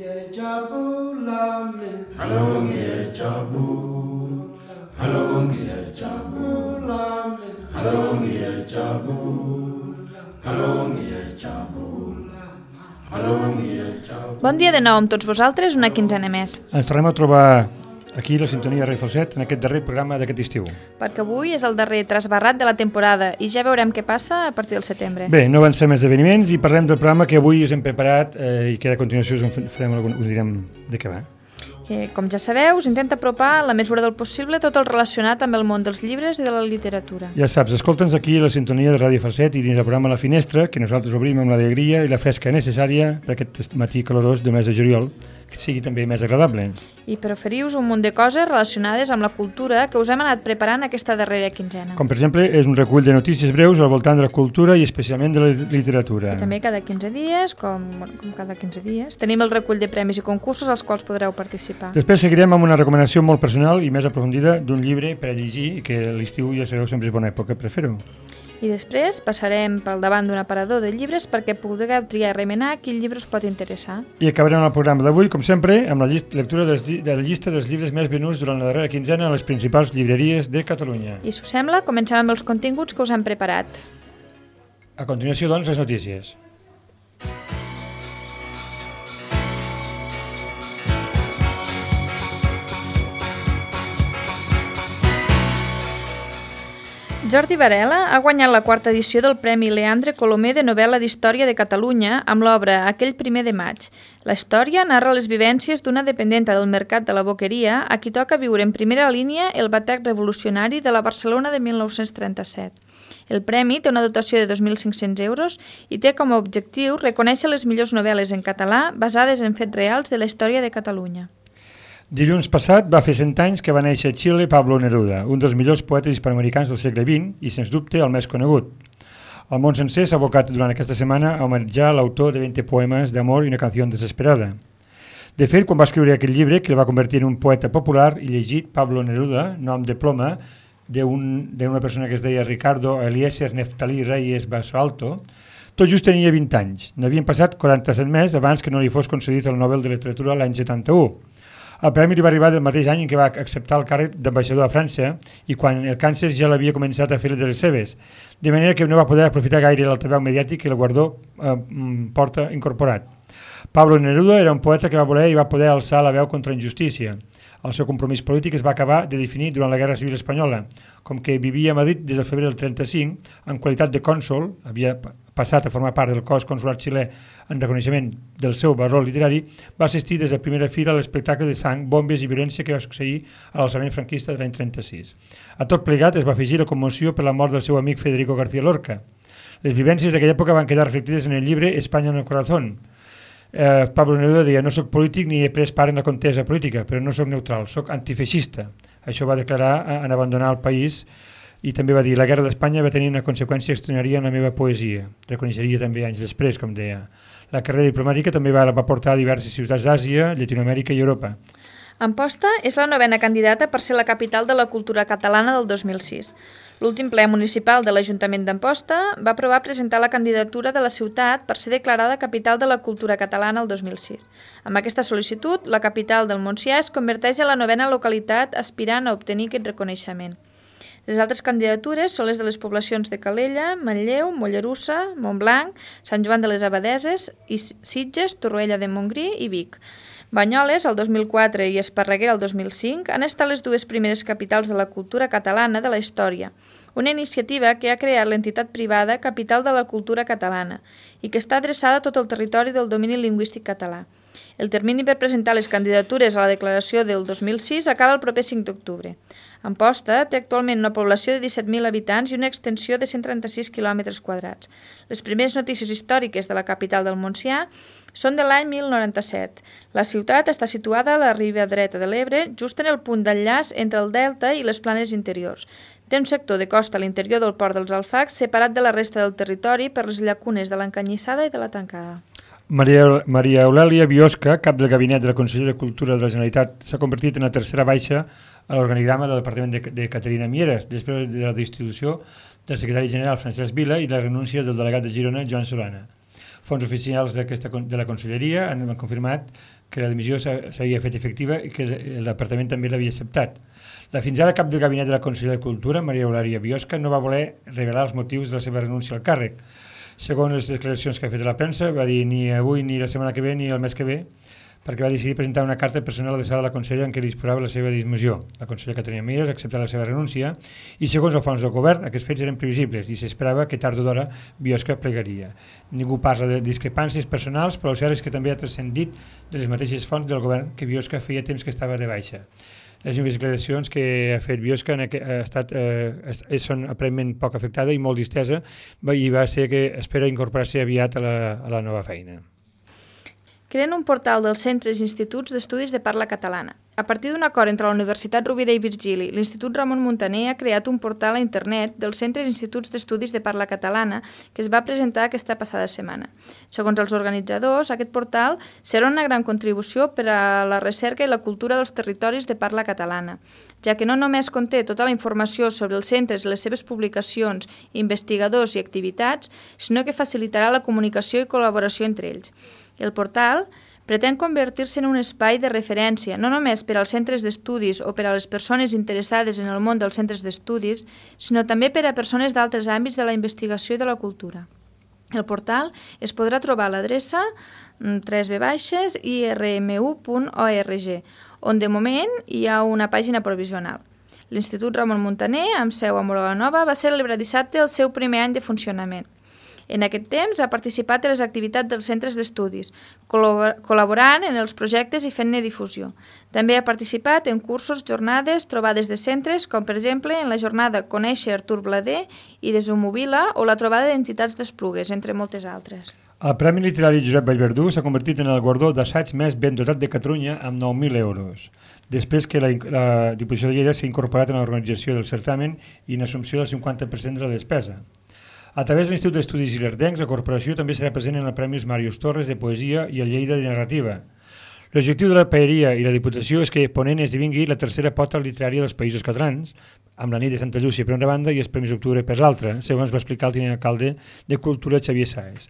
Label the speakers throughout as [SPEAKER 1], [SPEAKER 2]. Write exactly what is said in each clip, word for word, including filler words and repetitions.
[SPEAKER 1] Bon dia de nou amb tots vosaltres, una quinzena més.
[SPEAKER 2] Ens tornem a trobar aquí la sintonia de Ràdio Falset en aquest darrer programa d'aquest estiu.
[SPEAKER 1] Perquè avui és el darrer trasbarrat de la temporada i ja veurem què passa a partir del setembre.
[SPEAKER 2] Bé, no avancem esdeveniments i parlem del programa que avui us hem preparat eh, i que a continuació us, farem algun, us direm de què va.
[SPEAKER 1] Que, com ja sabeu, us intenta apropar a la mesura del possible tot el relacionat amb el món dels llibres i de la literatura.
[SPEAKER 2] Ja saps, escolta'ns aquí a la sintonia de Ràdio Falset i dins el programa La Finestra, que nosaltres obrim amb l'alegria i la fresca necessària per aquest matí calorós de mes de juliol, que sigui també més agradable.
[SPEAKER 1] I per oferir-vos un munt de coses relacionades amb la cultura que us hem anat preparant aquesta darrera quinzena.
[SPEAKER 2] Com per exemple, és un recull de notícies breus al voltant de la cultura i especialment de la literatura.
[SPEAKER 1] I també cada quinze dies, com, bueno, com cada quinze dies, tenim el recull de premis i concursos als quals podreu participar.
[SPEAKER 2] Després seguirem amb una recomanació molt personal i més aprofundida d'un llibre per a llegir i que l'estiu, ja sabeu, sempre és bona època per fer-ho.
[SPEAKER 1] I després passarem pel davant d'un aparador de llibres perquè pugueu triar i remenar quin llibre us pot interessar.
[SPEAKER 2] I acabarem el programa d'avui, com sempre, amb la llista, lectura dels, de la llista dels llibres més venuts durant la darrera quinzena a les principals llibreries de Catalunya.
[SPEAKER 1] I si us sembla, comencem amb els continguts que us hem preparat.
[SPEAKER 2] A continuació, doncs, les notícies.
[SPEAKER 1] Jordi Varela ha guanyat la quarta edició del Premi Leandre Colomer de novel·la d'història de Catalunya amb l'obra Aquell primer de maig. La història narra les vivències d'una dependenta del mercat de la Boqueria a qui toca viure en primera línia el batec revolucionari de la Barcelona de mil nou-cents trenta-set. El premi té una dotació de dos mil cinc-cents euros i té com a objectiu reconèixer les millors novel·les en català basades en fets reals de la història de Catalunya.
[SPEAKER 2] Dilluns passat va fer cent anys que va néixer a Xile Pablo Neruda, un dels millors poetes hispanoamericans del segle vint i, sens dubte, el més conegut. El món sencer s'ha abocat durant aquesta setmana a homenatjar l'autor de vint poemes d'amor i una canció desesperada. De fet, quan va escriure aquell llibre, que el va convertir en un poeta popular i llegit, Pablo Neruda, nom de ploma d'una persona que es deia Ricardo Eliezer Neftalí Reyes Basalto, tot just tenia vint anys. N'havien passat quaranta-set més abans que no li fos concedit el Nobel de Literatura l'any setanta-u. El premi li va arribar del mateix any en què va acceptar el càrrec d'ambaixador a França i quan el càncer ja l'havia començat a fer de les seves, de manera que no va poder aprofitar gaire l'altaveu mediàtic i el guardó eh, porta incorporat. Pablo Neruda era un poeta que va voler i va poder alçar la veu contra la injustícia. El seu compromís polític es va acabar de definir durant la Guerra Civil Espanyola. Com que vivia a Madrid des del febrer del trenta-cinc, en qualitat de cònsol, havia passat a formar part del cos consular xilè en reconeixement del seu valor literari, va assistir des de primera fila a l'espectacle de sang, bombes i violència que va succeir a l'alçament franquista de l'any trenta-sis. A tot plegat es va afegir la commoció per la mort del seu amic Federico García Lorca. Les vivències d'aquella època van quedar reflectides en el llibre España en el corazón. Eh, Pablo Neruda deia: no soc polític ni he pres part en la contesa política, però no soc neutral, soc antifeixista. Això va declarar en abandonar el país i també va dir: la guerra d'Espanya va tenir una conseqüència extraordinària en la meva poesia. Reconeixeria també anys després, com deia. La carrera diplomàtica també va, la va portar a diverses ciutats d'Àsia, Llatinoamèrica i Europa.
[SPEAKER 1] Amposta és la novena candidata per ser la capital de la cultura catalana del dos mil sis. L'últim ple municipal de l'Ajuntament d'Amposta va aprovar presentar la candidatura de la ciutat per ser declarada capital de la cultura catalana el dos mil sis. Amb aquesta sol·licitud, la capital del Montsià es converteix en la novena localitat aspirant a obtenir aquest reconeixement. Les altres candidatures són les de les poblacions de Calella, Manlleu, Mollerussa, Montblanc, Sant Joan de les Abadeses, i Sitges, Torroella de Montgrí i Vic. Banyoles, el dos mil quatre, i Esparreguera, el dos mil cinc, han estat les dues primeres capitals de la cultura catalana de la història, una iniciativa que ha creat l'entitat privada Capital de la Cultura Catalana i que està adreçada a tot el territori del domini lingüístic català. El termini per presentar les candidatures a la declaració del dos mil sis acaba el proper cinc d'octubre. Amposta té actualment una població de disset mil habitants i una extensió de cent trenta-sis quilòmetres quadrats. Les primeres notícies històriques de la capital del Montsià són de l'any mil noranta-set. La ciutat està situada a la riba dreta de l'Ebre, just en el punt d'enllaç entre el delta i les planes interiors. Té un sector de costa a l'interior del port dels Alfacs, separat de la resta del territori per les llacunes de l'Encanyissada i de la Tancada.
[SPEAKER 2] Maria, Maria Eulàlia Biosca, cap del gabinet de la Conselleria de Cultura de la Generalitat, s'ha convertit en la tercera baixa a l'organigrama del Departament de, de Caterina Mieres, després de la destitució del secretari general Francesc Vila i la renúncia del delegat de Girona, Joan Solana. Fons oficials d'aquesta de la Conselleria han confirmat que la dimissió s'havia fet efectiva i que el departament també l'havia acceptat. La fins ara cap del gabinet de la Conselleria de Cultura, Maria Eulàlia Biosca, no va voler revelar els motius de la seva renúncia al càrrec. Segons les declaracions que ha fet a la premsa, va dir ni avui, ni la setmana que ve, ni el mes que ve, perquè va decidir presentar una carta personal adreçada a la consellera en què disposava la seva dismissió. La consellera Caterina Mieres ha acceptat la seva renúncia i, segons el fons del govern, aquests fets eren previsibles i s'esperava que tard o d'hora Biosca plegaria. Ningú parla de discrepàncies personals, però el cert és que també ha transcendit de les mateixes fonts del govern que Biosca feia temps que estava de baixa. Les úniques declaracions que ha fet Biosca ha estat, eh, són aparentment poc afectada i molt distesa i va ser que espera incorporar-se aviat a la, a la nova feina.
[SPEAKER 1] Creen un portal dels centres i instituts d'estudis de parla catalana. A partir d'un acord entre la Universitat Rovira i Virgili, l'Institut Ramon Muntaner ha creat un portal a internet dels centres i instituts d'estudis de parla catalana que es va presentar aquesta passada setmana. Segons els organitzadors, aquest portal serà una gran contribució per a la recerca i la cultura dels territoris de parla catalana, ja que no només conté tota la informació sobre els centres i les seves publicacions, investigadors i activitats, sinó que facilitarà la comunicació i col·laboració entre ells. El portal pretén convertir-se en un espai de referència, no només per als centres d'estudis o per a les persones interessades en el món dels centres d'estudis, sinó també per a persones d'altres àmbits de la investigació i de la cultura. El portal es podrà trobar a l'adreça w w w punt i r m u punt org, on de moment hi ha una pàgina provisional. L'Institut Ramon Muntaner, amb seu a Móra la Nova, va celebrar dissabte el seu primer any de funcionament. En aquest temps ha participat en les activitats dels centres d'estudis, col·laborant en els projectes i fent-ne difusió. També ha participat en cursos, jornades, trobades de centres, com per exemple en la jornada Conèixer Artur Blader i Desumobila o la trobada d'entitats d'Esplugues, entre moltes altres.
[SPEAKER 2] El Premi Literari Josep Vallverdú s'ha convertit en el guardó d'assaig més ben dotat de Catalunya amb nou mil euros, després que la, la Diputació de Lleida s'ha incorporat en l'organització del certamen i en assumpció del cinquanta per cent de la despesa. A través de l'Institut d'Estudis Ilerdencs, la corporació també serà present en els Premis Màrius Torres de Poesia i el Lleida de Narrativa. L'objectiu de la Paeria i la Diputació és que Ponent esdevingui la tercera pota literària dels Països Catalans, amb la nit de Santa Llúcia per una banda i els Premis d'Octubre per l'altra, segons va explicar el tinent alcalde de Cultura Xavier Sáez.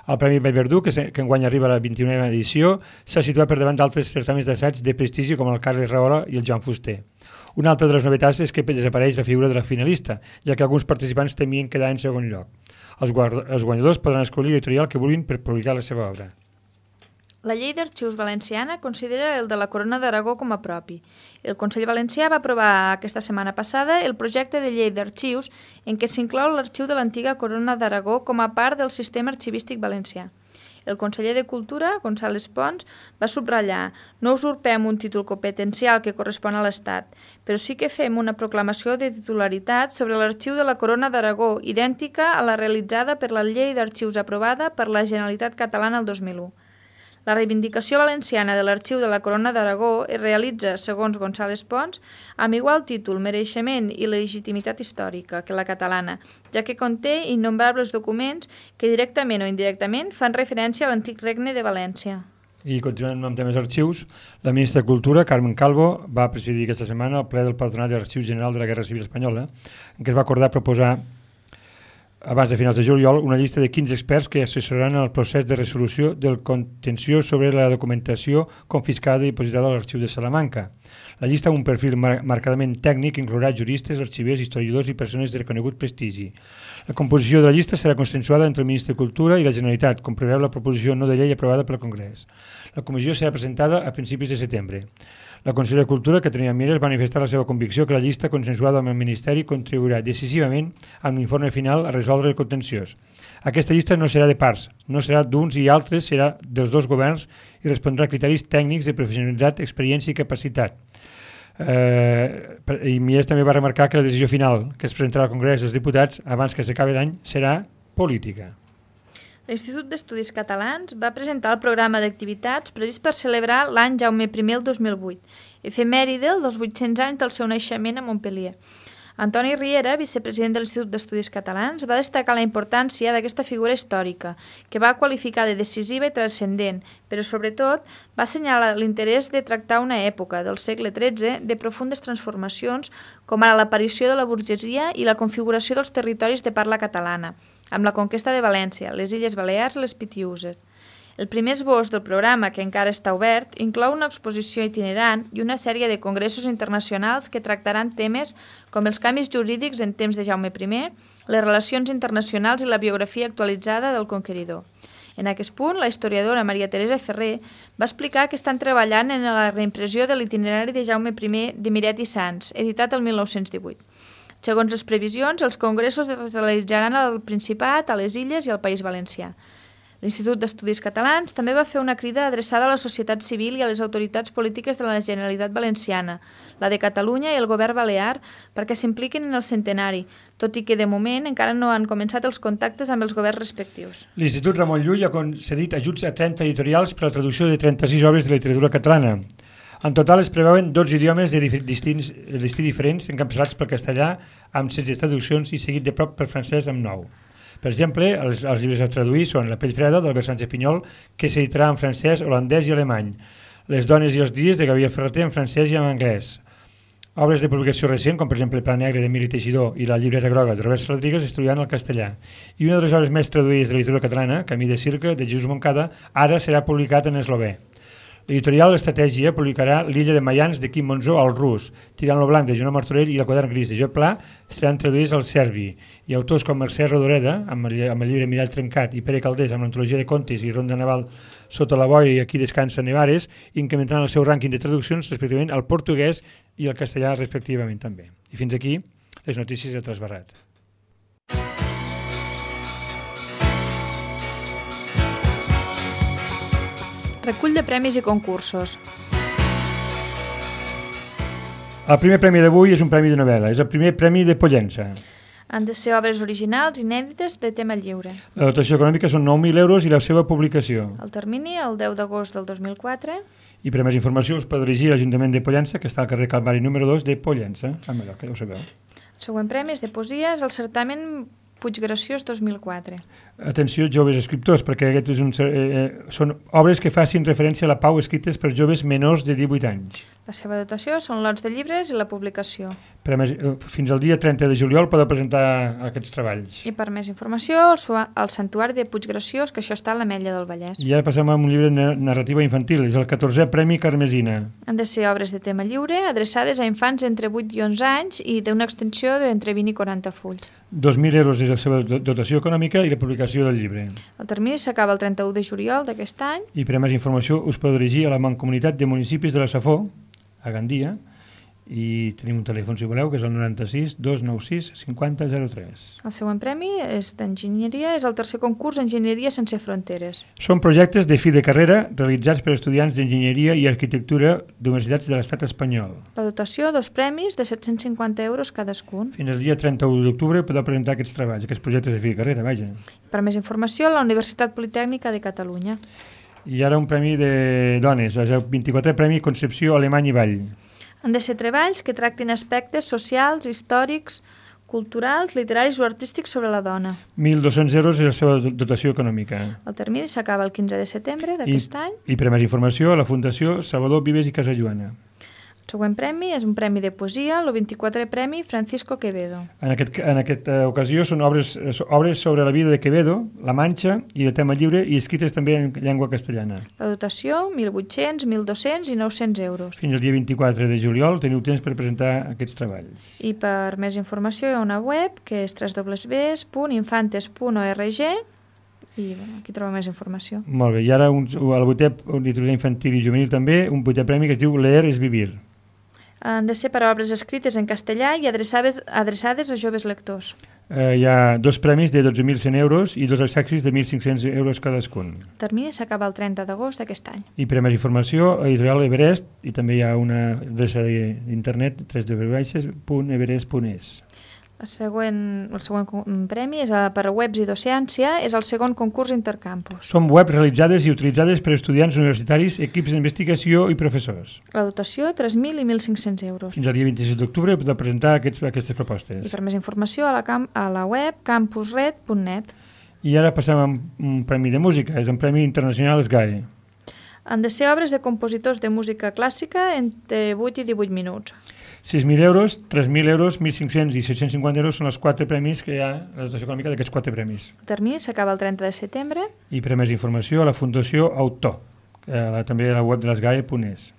[SPEAKER 2] El Premi Vallverdú, que, que enguany arriba a la vint-i-unena edició, s'ha situat per davant d'altres certaments d'assaig de prestigi com el Carles Rahola i el Joan Fuster. Una altra de les novetats és que desapareix la figura de la finalista, ja que alguns participants temien quedar en segon lloc. Els, guard... els guanyadors podran escollir l'editorial que vulguin per publicar la seva obra.
[SPEAKER 1] La llei d'arxius valenciana considera el de la Corona d'Aragó com a propi. El Consell Valencià va aprovar aquesta setmana passada el projecte de llei d'arxius en què s'inclou l'arxiu de l'antiga Corona d'Aragó com a part del sistema arxivístic valencià. El conseller de Cultura, González Pons, va subratllar: no usurpem un títol competencial que correspon a l'Estat, però sí que fem una proclamació de titularitat sobre l'arxiu de la Corona d'Aragó, idèntica a la realitzada per la llei d'arxius aprovada per la Generalitat Catalana el dos mil u. La reivindicació valenciana de l'arxiu de la Corona d'Aragó es realitza, segons González Pons, amb igual títol, mereixement i legitimitat històrica que la catalana, ja que conté innombrables documents que directament o indirectament fan referència a l'antic regne de València.
[SPEAKER 2] I continuant amb temes arxius, la ministra de Cultura, Carmen Calvo, va presidir aquesta setmana el ple del Patronat de l'Arxiu General de la Guerra Civil Espanyola, en què es va acordar proposar abans de finals de juliol, una llista de quinze experts que assessoraran el procés de resolució del contenciós sobre la documentació confiscada i dipositada a l'Arxiu de Salamanca. La llista amb un perfil mar marcadament tècnic inclourà juristes, arxivers, historiadors i persones de reconegut prestigi. La composició de la llista serà consensuada entre el Ministre de Cultura i la Generalitat, com preveu la proposició no de llei aprovada pel Congrés. La comissió serà presentada a principis de setembre. La consellera de Cultura, Caterina Mieres, va manifestar la seva convicció que la llista consensuada amb el Ministeri contribuirà decisivament amb l'informe final a resoldre el contenciós. Aquesta llista no serà de parts, no serà d'uns i altres, serà dels dos governs i respondrà a criteris tècnics de professionalitat, experiència i capacitat. Eh, I Mieres també va remarcar que la decisió final que es presentarà al Congrés dels Diputats abans que s'acabi l'any serà política.
[SPEAKER 1] L'Institut d'Estudis Catalans va presentar el programa d'activitats previst per celebrar l'any Jaume primer el dos mil vuit, efemèride dels vuit-cents anys del seu naixement a Montpellier. Antoni Riera, vicepresident de l'Institut d'Estudis Catalans, va destacar la importància d'aquesta figura històrica, que va qualificar de decisiva i transcendent, però sobretot va assenyalar l'interès de tractar una època del segle tretze de profundes transformacions, com ara l'aparició de la burgesia i la configuració dels territoris de parla catalana, amb la conquesta de València, les Illes Balears i les Pitiüses. El primer esbós del programa, que encara està obert, inclou una exposició itinerant i una sèrie de congressos internacionals que tractaran temes com els canvis jurídics en temps de Jaume primer, les relacions internacionals i la biografia actualitzada del conqueridor. En aquest punt, la historiadora Maria Teresa Ferrer va explicar que estan treballant en la reimpressió de l'itinerari de Jaume primer de Miret i Sans, editat el mil nou-cents divuit. Segons les previsions, els congressos es realitzaran al Principat, a les Illes i al País Valencià. L'Institut d'Estudis Catalans també va fer una crida adreçada a la societat civil i a les autoritats polítiques de la Generalitat Valenciana, la de Catalunya i el govern balear, perquè s'impliquin en el centenari, tot i que de moment encara no han començat els contactes amb els governs respectius.
[SPEAKER 2] L'Institut Ramon Llull ha concedit ajuts a trenta editorials per a la traducció de trenta-sis obres de literatura catalana. En total es preveuen dotze idiomes de distints, d'estil diferents, encapçalats pel castellà amb setze traduccions i seguit de prop pel francès amb nou. Per exemple, els, els llibres a traduir són La pell freda, d'Albert Sánchez Pinyol, que s'editarà en francès, holandès i alemany. Les dones i els dies, de Gabriel Ferreter, en francès i en anglès. Obres de publicació recent, com per exemple Pla negre, d'Emili Teixidor, i La llibreta groga, de Robert Rodríguez, es traduiran al castellà. I una de les obres més traduïdes de la literatura catalana, Camí de circa, de Jesús Moncada, ara serà publicat en eslové. L'editorial Estratègia publicarà L'illa de Mayans de Quim Monzó al rus, Tirant lo blanc de Joan Martorell i El quadern gris de Joan Pla seran traduïts al serbi, i autors com Mercè Rodoreda, amb el, amb el llibre Mirall trencat, i Pere Caldés, amb l'antologia de contes i Ronda naval Sota la boia i Aquí descansa Nevares, incrementaran el seu rànquing de traduccions respectivament al portuguès i al castellà respectivament també. I fins aquí les notícies del Trasbarrat.
[SPEAKER 1] Recull de premis i concursos.
[SPEAKER 2] El primer premi d'avui és un premi de novel·la, és el primer premi de Pollença.
[SPEAKER 1] Han de ser obres originals, inèdites, de tema lliure.
[SPEAKER 2] La dotació econòmica són nou mil euros i la seva publicació.
[SPEAKER 1] El termini, el deu d'agost del dos mil quatre.
[SPEAKER 2] I per a més informació us podeu dirigir a l'Ajuntament de Pollença, que està al carrer Calvari número dos de Pollença, a Mallorca, ja ho sabeu.
[SPEAKER 1] El següent premi és de poesia, és el certamen Puig Graciós dos mil quatre.
[SPEAKER 2] Atenció, joves escriptors, perquè aquest és un, eh, són obres que facin referència a la pau escrites per joves menors de divuit anys.
[SPEAKER 1] La seva dotació són lots de llibres i la publicació.
[SPEAKER 2] Per a més, fins al dia trenta de juliol podeu presentar aquests treballs.
[SPEAKER 1] I per més informació, el, el Santuari de Puig Graciós, que això està a l'Ametlla del Vallès.
[SPEAKER 2] I ara passem a un llibre de narrativa infantil, és el catorzè Premi Carmesina.
[SPEAKER 1] Han de ser obres de tema lliure, adreçades a infants entre vuit i onze anys i d'una extensió d'entre vint i quaranta fulls.
[SPEAKER 2] dos mil euros és la seva dotació econòmica i la publicació del llibre.
[SPEAKER 1] El termini s'acaba el trenta-u de juliol d'aquest any.
[SPEAKER 2] I per a més informació us podeu dirigir a la Mancomunitat de Municipis de la Safor, a Gandia, i tenim un telèfon si voleu, que és el noranta-sis dos nou sis cinquanta zero tres.
[SPEAKER 1] El següent premi és d'enginyeria, és el tercer concurs Enginyeria sense fronteres.
[SPEAKER 2] Són projectes de fi de carrera realitzats per estudiants d'enginyeria i arquitectura d'universitats de l'estat espanyol.
[SPEAKER 1] La dotació, dos premis de set-cents cinquanta euros cadascun.
[SPEAKER 2] Fins al dia trenta-u d'octubre podeu presentar aquests treballs, aquests projectes de fi de carrera, vaja.
[SPEAKER 1] Per més informació, a la Universitat Politècnica de Catalunya.
[SPEAKER 2] I ara un premi de dones, és el vint-i-quatrè Premi Concepció Alemany i Vall.
[SPEAKER 1] Han de ser treballs que tractin aspectes socials, històrics, culturals, literaris o artístics sobre la dona.
[SPEAKER 2] mil dos-cents euros és la seva dotació econòmica.
[SPEAKER 1] El termini s'acaba el quinze de setembre d'aquest any.
[SPEAKER 2] I per a més informació, a la Fundació Salvador Vives i Casajoana.
[SPEAKER 1] El següent premi és un premi de poesia, el vint-i-quatrè Premi Francisco Quevedo.
[SPEAKER 2] En, aquest, en aquesta ocasió són obres, obres sobre la vida de Quevedo, La Manxa i el tema lliure, i escrites també en llengua castellana.
[SPEAKER 1] La dotació, mil vuit-cents, mil dos-cents i nou-cents euros.
[SPEAKER 2] Fins al dia vint-i-quatre de juliol teniu temps per presentar aquests treballs.
[SPEAKER 1] I per més informació hi ha una web que és w w w punt infantes punt org i bueno, aquí troba més informació.
[SPEAKER 2] Molt bé, i ara un, el vuitè literatura infantil i juvenil també, un vuitè premi que es diu Leer és vivir.
[SPEAKER 1] Han de ser per a obres escrites en castellà i adreçades, adreçades a joves lectors.
[SPEAKER 2] Eh, hi ha dos premis de dotze mil cent euros i dos accessis de mil cinc-cents euros cadascun.
[SPEAKER 1] El termini s'acaba el trenta d'agost d'aquest any.
[SPEAKER 2] I per a més informació, a Editorial Everest, i també hi ha una adreça d'internet, w w w punt everest punt e s.
[SPEAKER 1] El següent, el següent premi és a, per a webs i docència, és el segon concurs Intercampus.
[SPEAKER 2] Són webs realitzades i utilitzades per estudiants universitaris, equips d'investigació i professors.
[SPEAKER 1] La dotació, tres mil i mil cinc-cents euros.
[SPEAKER 2] Fins al dia vint-i-set d'octubre podeu presentar aquests, aquestes propostes.
[SPEAKER 1] I per més informació a la, camp, a la web campusred punt net.
[SPEAKER 2] I ara passem a un premi de música, és un premi internacional S G A E.
[SPEAKER 1] Han de ser obres de compositors de música clàssica entre vuit i divuit minuts.
[SPEAKER 2] sis mil euros, tres mil euros, mil cinc-cents i set-cents cinquanta euros són els quatre premis que hi ha, la dotació econòmica d'aquests quatre premis.
[SPEAKER 1] El termini s'acaba el trenta de setembre.
[SPEAKER 2] I per a més informació a la Fundació Autor, eh, també a la web de l'esgae punt es.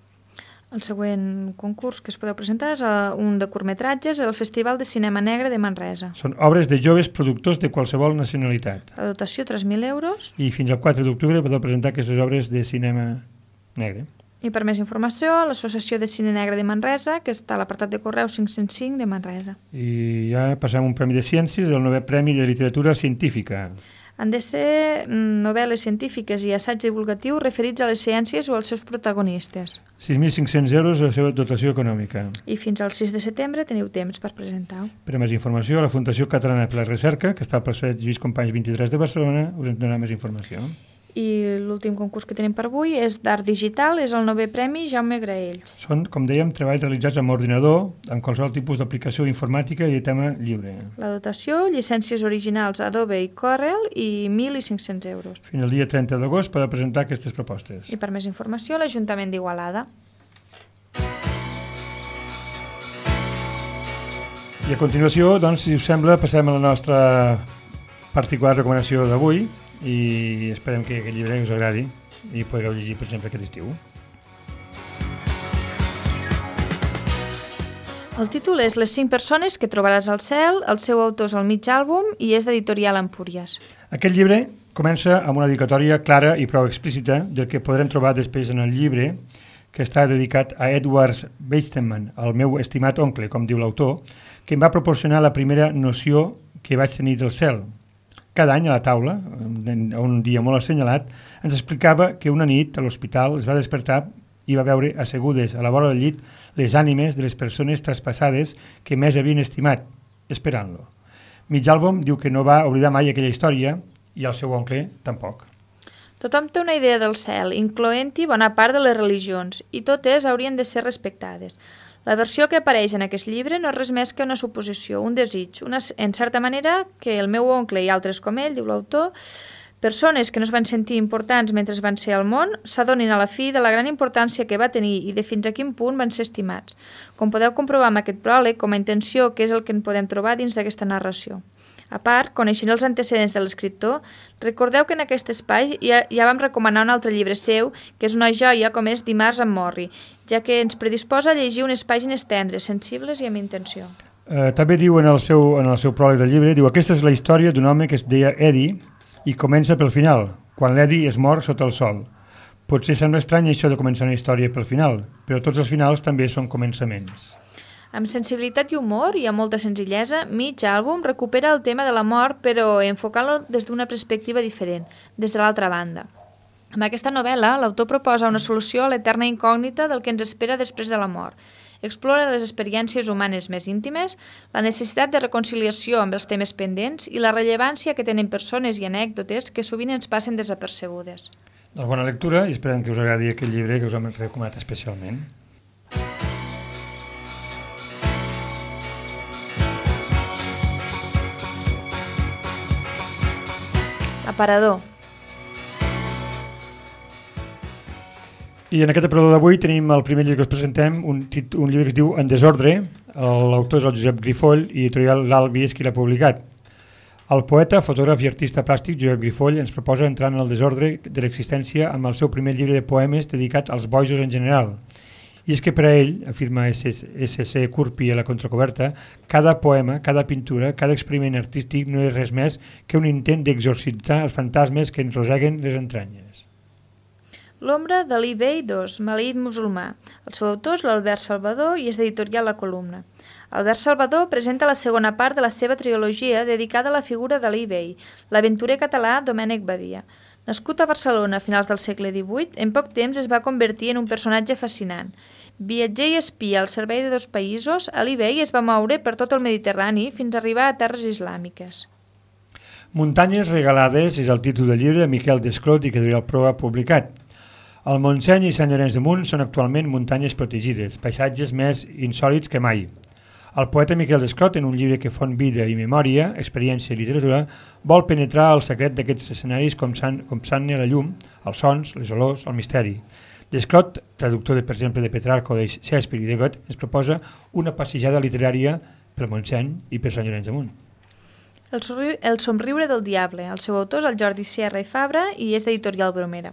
[SPEAKER 1] El següent concurs que es podeu presentar és un de curtmetratges al Festival de Cinema Negre de Manresa.
[SPEAKER 2] Són obres de joves productors de qualsevol nacionalitat.
[SPEAKER 1] La dotació, tres mil euros.
[SPEAKER 2] I fins al quatre d'octubre podeu presentar aquestes obres de cinema negre.
[SPEAKER 1] I per més informació, l'Associació de Cine Negre de Manresa, que està a l'apartat de correu cinc-cents cinc de Manresa.
[SPEAKER 2] I ja passem un premi de ciències, el novè premi de literatura científica.
[SPEAKER 1] Han de ser novel·les científiques i assaig divulgatiu referits a les ciències o als seus protagonistes.
[SPEAKER 2] sis mil cinc-cents euros la seva dotació econòmica.
[SPEAKER 1] I fins al sis de setembre teniu temps per presentar.
[SPEAKER 2] Per a més informació, la Fundació Catalana per la Recerca, que està al passeig Lluís Companys vint-i-tres de Barcelona, us en donarà més informació.
[SPEAKER 1] I l'últim concurs que tenim per avui és d'Art Digital, és el novè premi Jaume Graells.
[SPEAKER 2] Són, com dèiem, treballs realitzats amb ordinador, amb qualsevol tipus d'aplicació informàtica i de tema lliure.
[SPEAKER 1] La dotació, llicències originals Adobe i Corel i mil cinc-cents euros.
[SPEAKER 2] Fins al dia trenta d'agost podeu presentar aquestes propostes.
[SPEAKER 1] I per més informació, l'Ajuntament d'Igualada.
[SPEAKER 2] I a continuació, doncs, si us sembla, passem a la nostra particular recomanació d'avui, i esperem que aquest llibre us agradi i podeu llegir, per exemple, aquest estiu.
[SPEAKER 1] El títol és Les cinc persones que trobaràs al cel, el seu autor és el mig àlbum i és d'editorial Empúries.
[SPEAKER 2] Aquest llibre comença amb una dedicatòria clara i prou explícita del que podrem trobar després en el llibre, que està dedicat a Edward Weizmann, el meu estimat oncle, com diu l'autor, que em va proporcionar la primera noció que vaig tenir del cel. Cada any a la taula, un dia molt assenyalat, ens explicava que una nit a l'hospital es va despertar i va veure assegudes a la vora del llit les ànimes de les persones traspassades que més havien estimat, esperant-lo. Mig àlbum diu que no va oblidar mai aquella història i el seu oncle tampoc.
[SPEAKER 1] Tothom té una idea del cel, incloent-hi bona part de les religions, i totes haurien de ser respectades. La versió que apareix en aquest llibre no és res més que una suposició, un desig, una, en certa manera que el meu oncle i altres com ell, diu l'autor, persones que no es van sentir importants mentre van ser al món, s'adonin a la fi de la gran importància que va tenir i de fins a quin punt van ser estimats. Com podeu comprovar amb aquest pròleg, com a intenció, que és el que en podem trobar dins d'aquesta narració. A part, coneixent els antecedents de l'escriptor, recordeu que en aquest espai ja, ja vam recomanar un altre llibre seu, que és una joia com és Dimarts amb Morri, ja que ens predisposa a llegir unes pàgines tendres, sensibles i amb intenció.
[SPEAKER 2] Eh, també diu en el seu, en el seu pròleg del llibre, diu, aquesta és la història d'un home que es deia Eddie i comença pel final, quan l'Eddie es mor sota el sol. Potser sembla estrany això de començar una història pel final, però tots els finals també són començaments.
[SPEAKER 1] Amb sensibilitat i humor i amb molta senzillesa, Mig àlbum recupera el tema de la mort, però enfocant-lo des d'una perspectiva diferent, des de l'altra banda. Amb aquesta novel·la, l'autor proposa una solució a l'eterna incògnita del que ens espera després de la mort. Explora les experiències humanes més íntimes, la necessitat de reconciliació amb els temes pendents i la rellevància que tenen persones i anècdotes que sovint ens passen desapercebudes.
[SPEAKER 2] Doncs bona lectura i esperem que us agradi aquest llibre que us hem recomanat especialment.
[SPEAKER 1] Aparador.
[SPEAKER 2] I en aquest aparador d'avui tenim el primer llibre que us presentem, un, un llibre que es diu En desordre. L'autor és el Josep Grifoll i editorial l'Albi és qui l'ha publicat. El poeta, fotògraf i artista plàstic Josep Grifoll ens proposa entrar en el desordre de l'existència amb el seu primer llibre de poemes dedicat als bojos en general. I és que per a ell, afirma esse ce Curpi a la contracoberta, cada poema, cada pintura, cada experiment artístic no és res més que un intent d'exorcitzar els fantasmes que ens roseguen les entranyes.
[SPEAKER 1] L'ombra d'Ali Bey dos, maleït musulmà. El seu autor és l'Albert Salvador i és d'editorial La Columna. Albert Salvador presenta la segona part de la seva trilogia dedicada a la figura d'Ali Bey, l'aventurer català Domènec Badia. Nascut a Barcelona a finals del segle divuit, en poc temps es va convertir en un personatge fascinant. Viatger i espia al servei de dos països, Ali Bey es va moure per tot el Mediterrani fins a arribar a terres islàmiques.
[SPEAKER 2] Muntanyes regalades és el títol del llibre de Miquel Desclot i que Editorial Proa ha publicat. El Montseny i Sant Llorenç de Munt són actualment muntanyes protegides, paisatges més insòlits que mai. El poeta Miquel Desclot, en un llibre que fon vida i memòria, experiència i literatura, vol penetrar el secret d'aquests escenaris com s'han a la llum, els sons, les olors, el misteri. Desclot, traductor, de, per exemple, de Petrarco, de Shakespeare i de Goethe, ens proposa una passejada literària pel Montseny i per Sant Llorenç Amunt.
[SPEAKER 1] El, el somriure del diable. El seu autor és el Jordi Sierra i Fabra i és d'Editorial Bromera.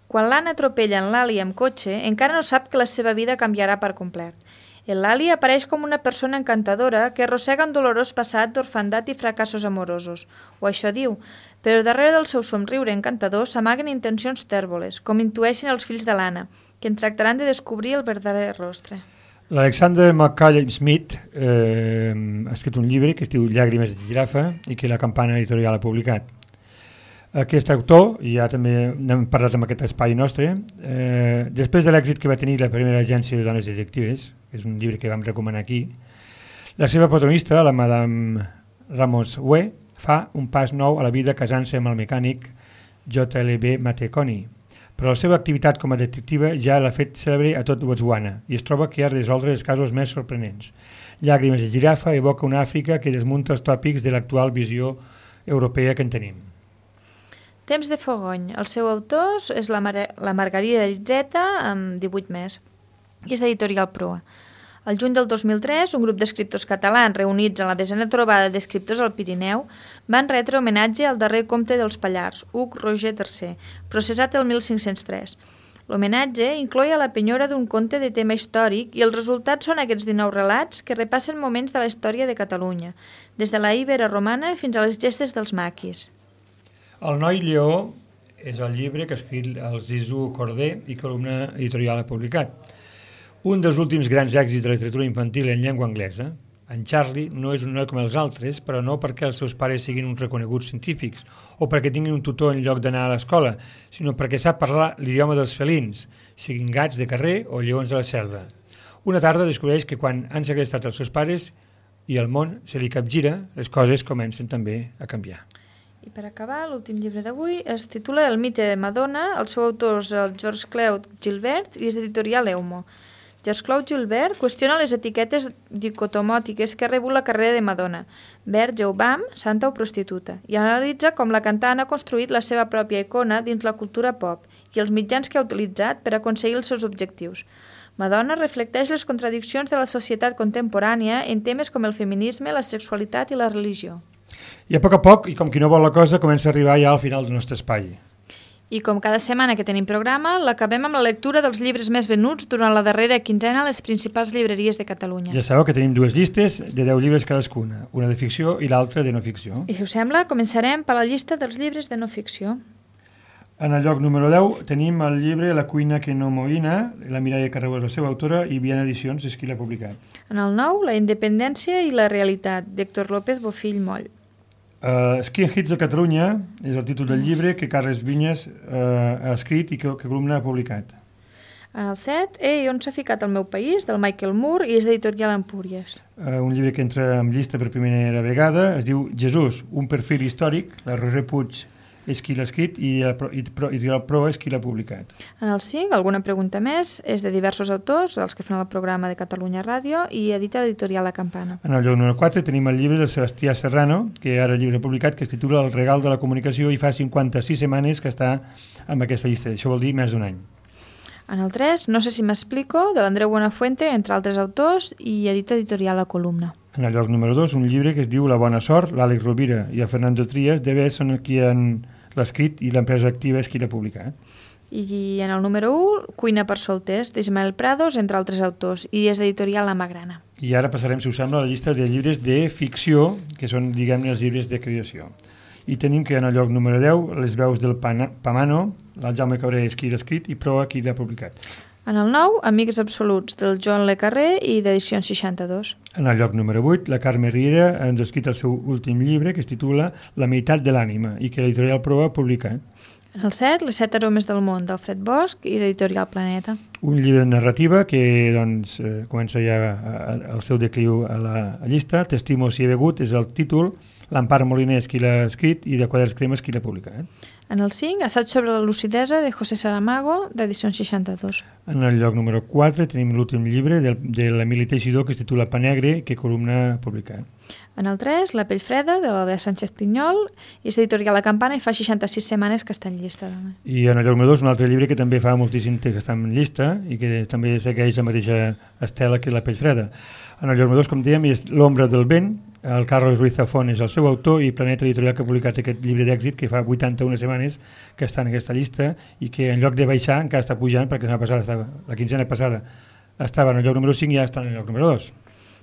[SPEAKER 1] Quan l'Anna atropella en l'Ali amb cotxe, encara no sap que la seva vida canviarà per complet. El Lali apareix com una persona encantadora que arrossega un dolorós passat d'orfandat i fracassos amorosos, o això diu, però darrere del seu somriure encantador s'amaguen intencions tèrboles, com intueixen els fills de l'Anna, que en tractaran de descobrir el verdader rostre.
[SPEAKER 2] L'Alexander McCallum Smith eh, ha escrit un llibre que es diu Llàgrimes de girafa i que la Campana Editorial ha publicat. Aquest autor, ja també n'hem parlat amb aquest espai nostre, eh, després de l'èxit que va tenir la primera agència de dones detectives, que és un llibre que vam recomanar aquí, la seva protagonista, la Madame Ramos Hue, fa un pas nou a la vida casant-se amb el mecànic J L B Mateconi, però la seva activitat com a detectiva ja l'ha fet cèlebre a tot Botswana i es troba que ha de resoldre els casos més sorprenents. Llàgrimes de girafa evoca una Àfrica que desmunta els tòpics de l'actual visió europea que en tenim.
[SPEAKER 1] Temps de fogony. El seu autor és la, Mar la Margarida Ritzeta, amb divuit més, i és d'Editorial Proa. El juny del dos mil tres, un grup d'escriptors catalans reunits en la desena trobada d'escriptors al Pirineu van retre homenatge al darrer comte dels Pallars, Hug Roger tercer, processat el mil cinc-cents tres. L'homenatge incloïa la penyora d'un conte de tema històric i els resultats són aquests dinou relats que repassen moments de la història de Catalunya, des de la Ibera romana fins a les gestes dels maquis.
[SPEAKER 2] El noi lleó és el llibre que ha escrit el Zizou Corder i Columna Editorial ha publicat. Un dels últims grans èxits de la literatura infantil en llengua anglesa. En Charlie no és un noi com els altres, però no perquè els seus pares siguin uns reconeguts científics o perquè tinguin un tutor en lloc d'anar a l'escola, sinó perquè sap parlar l'idioma dels felins, siguin gats de carrer o lleons de la selva. Una tarda descobreix que quan han segrestat els seus pares i el món se li capgira, les coses comencen també a canviar.
[SPEAKER 1] I per acabar, l'últim llibre d'avui es titula El mite de Madonna, el seu autor és el George Claude Gilbert i és d'Editorial Eumo. George Claude Gilbert qüestiona les etiquetes dicotomòtiques que ha rebut la carrera de Madonna, verge o bam, santa o prostituta, i analitza com la cantant ha construït la seva pròpia icona dins la cultura pop i els mitjans que ha utilitzat per aconseguir els seus objectius. Madonna reflecteix les contradiccions de la societat contemporània en temes com el feminisme, la sexualitat i la religió.
[SPEAKER 2] I a poc a poc, i com qui no vol la cosa, comença a arribar ja al final del nostre espai.
[SPEAKER 1] I com cada setmana que tenim programa, l'acabem amb la lectura dels llibres més venuts durant la darrera quinzena a les principals llibreries de Catalunya.
[SPEAKER 2] Ja sabeu que tenim dues llistes de deu llibres cadascuna, una de ficció i l'altra de no ficció.
[SPEAKER 1] I si us sembla, començarem per la llista dels llibres de no ficció.
[SPEAKER 2] En el lloc número deu tenim el llibre La cuina que no moïna, la Mireia Carreu és la seva autora i Viana Edicions és qui l'ha publicat. En
[SPEAKER 1] el nou, La independència i la realitat, d'Héctor López Bofill Moll.
[SPEAKER 2] Uh, Skin Hits de Catalunya és el títol del llibre que Carles Vinyes uh, ha escrit i que, que Columna ha publicat.
[SPEAKER 1] En el set, Ei, on s'ha ficat el meu país, del Michael Moore i és d'Editorial Empúries.
[SPEAKER 2] Uh, un llibre que entra en llista per primera vegada, es diu Jesús, un perfil històric, la Roser Puig és qui l'ha escrit i Editorial Pro és qui l'ha publicat.
[SPEAKER 1] En el cinc, Alguna pregunta més, és de diversos autors, els que fan el programa de Catalunya Ràdio i edita l'Editorial La Campana.
[SPEAKER 2] En el lloc número quatre tenim el llibre del Sebastià Serrano, que ara el llibre publicat, que es titula El regal de la comunicació i fa cinquanta-sis setmanes que està en aquesta llista. Això vol dir més d'un any.
[SPEAKER 1] En el tres, No sé si m'explico, de l'Andreu Buenafuente, entre altres autors, i edita Editorial La Columna.
[SPEAKER 2] En el lloc número dos, un llibre que es diu La bona sort, l'Àlex Rovira i el Fernando Trias, d'E B són qui han l'escrit i l'empresa activa és qui l'ha publicat.
[SPEAKER 1] I en el número un, Cuina per solters, d'Ismael Prados, entre altres autors, i és d'Editorial La Magrana.
[SPEAKER 2] I ara passarem, si us sembla, a la llista de llibres de ficció, que són, diguem-ne, els llibres de creació. I tenim que en el lloc número deu, Les veus del Pamano, el Jaume Cabré és qui l'ha escrit i Proa qui l'ha publicat.
[SPEAKER 1] En el nou, Amics absoluts, del Joan Le Carré i d'Edicions seixanta-dos.
[SPEAKER 2] En el lloc número vuit, la Carme Riera ens ha escrit el seu últim llibre, que es titula La meitat de l'ànima, i que l'Editorial Proa ha publicat.
[SPEAKER 1] En el set, Les set aromes del món, d'Alfred Bosch i d'Editorial Planeta.
[SPEAKER 2] Un llibre de narrativa que doncs, eh, comença ja el seu decliu a la llista. T'estimo si he begut és el títol, l'Empar Moliner és qui l'ha escrit i de Quaders Cremes qui l'ha publicat.
[SPEAKER 1] En el cinc, Assaig sobre la lucidesa de José Saramago, d'edició seixanta-dos.
[SPEAKER 2] En el lloc número quatre tenim l'últim llibre de, de l'Emili Teixidor, que es titula Pa Negre, que Columna ha publicat.
[SPEAKER 1] En el tres, La pell freda, de l'Albert Sánchez Pinyol, i és editorial La Campana i fa seixanta-sis setmanes que està en llista. També.
[SPEAKER 2] I en el lloc número dos, un altre llibre que també fa moltíssim temps que està en llista i que també segueix la mateixa estela que La pell freda. En el lloc número dos, com dèiem, és L'ombra del vent. El Carlos Ruiz Zafón és el seu autor i Planeta Editorial que ha publicat aquest llibre d'èxit que fa vuitanta-una setmanes que està en aquesta llista i que en lloc de baixar encara està pujant perquè la, passada estava, la quinzena passada estava en el lloc número cinc i ja està en el lloc número dos.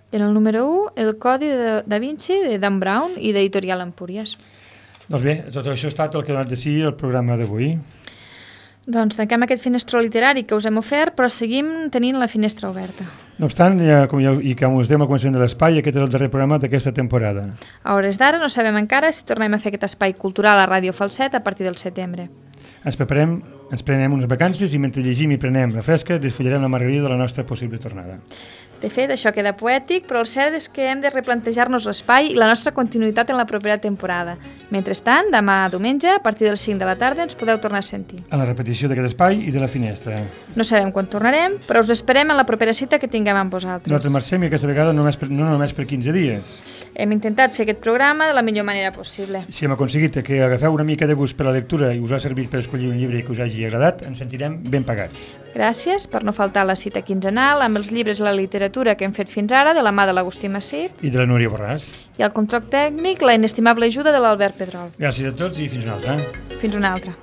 [SPEAKER 1] En el número u, El codi de Da Vinci de Dan Brown i d'Editorial Empúries.
[SPEAKER 2] Doncs bé, tot això ha estat el que ha donat de si el programa d'avui.
[SPEAKER 1] Doncs tanquem aquest finestró literari que us hem ofert, però seguim tenint la finestra oberta.
[SPEAKER 2] No obstant, ja, com ja, i com us dèiem al començament de l'espai, aquest és el darrer programa d'aquesta temporada.
[SPEAKER 1] A hores d'ara no sabem encara si tornem a fer aquest espai cultural a Ràdio Falset a partir del setembre.
[SPEAKER 2] Ens preparem, ens prenem unes vacances i mentre llegim i prenem la fresca desfullarem la margarida de la nostra possible tornada.
[SPEAKER 1] De fet, això queda poètic, però el cert és que hem de replantejar-nos l'espai i la nostra continuïtat en la propera temporada. Mentrestant, demà diumenge, a partir de les cinc de la tarda, ens podeu tornar a sentir.
[SPEAKER 2] A la repetició d'aquest espai i de la finestra.
[SPEAKER 1] No sabem quan tornarem, però us esperem en la propera cita que tinguem amb vosaltres.
[SPEAKER 2] Nosaltres marxem i aquesta vegada no només per, no només per quinze dies.
[SPEAKER 1] Hem intentat fer aquest programa de la millor manera possible.
[SPEAKER 2] Si hem aconseguit que agafeu una mica de gust per la lectura i us ha servit per escollir un llibre que us hagi agradat, ens sentirem ben pagats.
[SPEAKER 1] Gràcies per no faltar a la cita quinzenal amb els llibres i la literatura que hem fet fins ara de la mà de l'Agustí Massip
[SPEAKER 2] i de la Núria Borràs.
[SPEAKER 1] I al control tècnic la inestimable ajuda de l'Albert Pedrol.
[SPEAKER 2] Gràcies a tots i fins una altra.
[SPEAKER 1] Fins una altra.